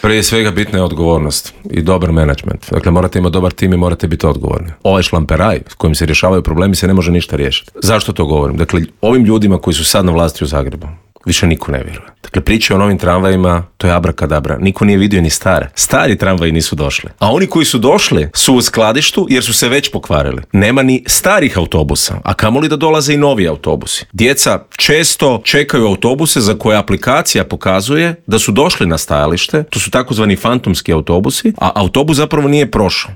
Prije svega bitna je odgovornost i dobar menadžment. Dakle, morate imati dobar tim i morate biti odgovorni. Ovaj šlamperaj s kojim se rješavaju problemi se ne može ništa riješiti. Zašto to govorim? Dakle, ovim ljudima koji su sad na vlasti u Zagrebu više niko ne vjeruje. Dakle, priče o novim tramvajima, to je abrakadabra. Niko nije vidio ni stare. Stari tramvaji nisu došli. A oni koji su došli su u skladištu jer su se već pokvarili. Nema ni starih autobusa, a kamoli da dolaze i novi autobusi. Djeca često čekaju autobuse za koje aplikacija pokazuje da su došli na stajalište. To su takozvani fantomski autobusi, a autobus zapravo nije prošao.